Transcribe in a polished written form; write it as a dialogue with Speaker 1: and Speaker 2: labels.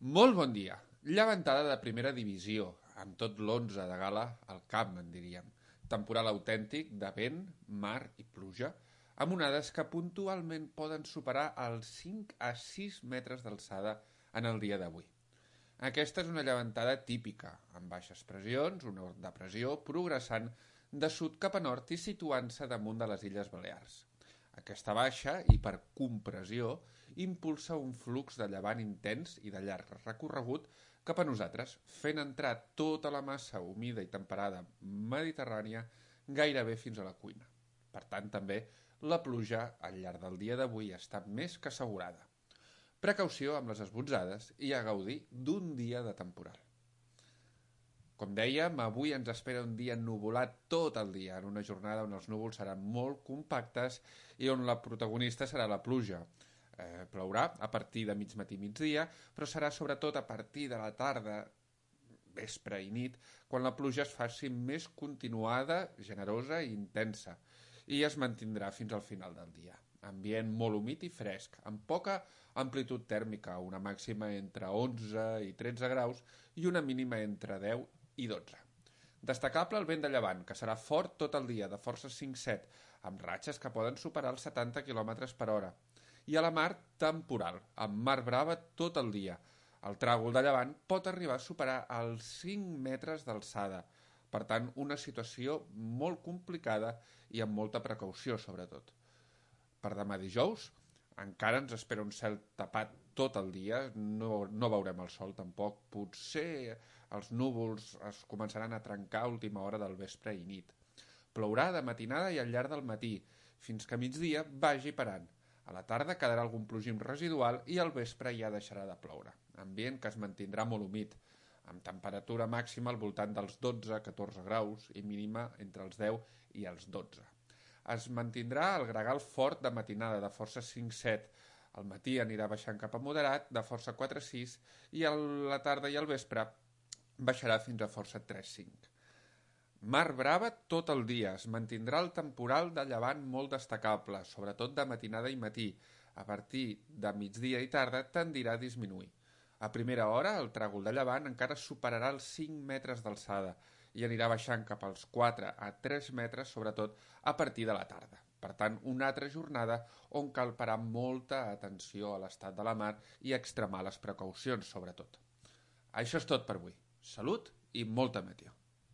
Speaker 1: Molt bon dia. Llevantada de primera divisió, amb tot l'11 de gala al camp, en diríem. Temporal autèntic de vent, mar i pluja, amb onades que puntualment poden superar els 5 a 6 metres d'alçada en el dia d'avui. Aquesta és una llevantada típica, amb baixes pressions, una depressió progressant de sud cap a nord i situant-se damunt de les Illes Balears. Aquesta baixa, i per compressió, impulsa un flux de llevant intens i de llarg recorregut cap a nosaltres, fent entrar tota la massa humida i temperada mediterrània gairebé fins a la cuina. Per tant, també, la pluja al llarg del dia d'avui està més que assegurada. Precaució amb les esbotzades i a gaudir d'un dia de temporal. Com dèiem, avui ens espera un dia ennuvolat tot el dia, en una jornada on els núvols seran molt compactes i on la protagonista serà la pluja. Plourà a partir de mig matí i migdia, però serà sobretot a partir de la tarda, vespre i nit, quan la pluja es faci més continuada, generosa i intensa, i es mantindrà fins al final del dia. Ambient molt humit i fresc, amb poca amplitud tèrmica, una màxima entre 11 i 13 graus i una mínima entre 10 i 12. Destacable el vent de llevant, que serà fort tot el dia, de força 5-7, amb ratxes que poden superar els 70 km per hora. I a la mar, temporal, amb mar brava tot el dia. El tràgol de llevant pot arribar a superar els 5 metres d'alçada. Per tant, una situació molt complicada i amb molta precaució, sobretot. Per demà dijous, encara ens espera un cel tapat tot el dia, no veurem el sol tampoc, potser els núvols es començaran a trencar a última hora del vespre i nit. Plourà de matinada i al llarg del matí, fins que a migdia vagi parant. A la tarda quedarà algun plogim residual i al vespre ja deixarà de ploure. Ambient que es mantindrà molt humit, amb temperatura màxima al voltant dels 12-14 graus i mínima entre els 10 i els 12. Es mantindrà el gregal fort de matinada de força 5-7, al matí anirà baixant cap a moderat de força 4-6 i a la tarda i al vespre baixarà fins a força 3-5. Mar brava tot el dia, es mantindrà el temporal de llevant molt destacable, sobretot de matinada i matí. A partir de migdia i tarda tendirà a disminuir. A primera hora, el tràgol de llevant encara superarà els 5 metres d'alçada i anirà baixant cap als 4 a 3 metres, sobretot a partir de la tarda. Per tant, una altra jornada on cal parar molta atenció a l'estat de la mar i extremar les precaucions, sobretot. Això és tot per avui. Salut i molta meteo.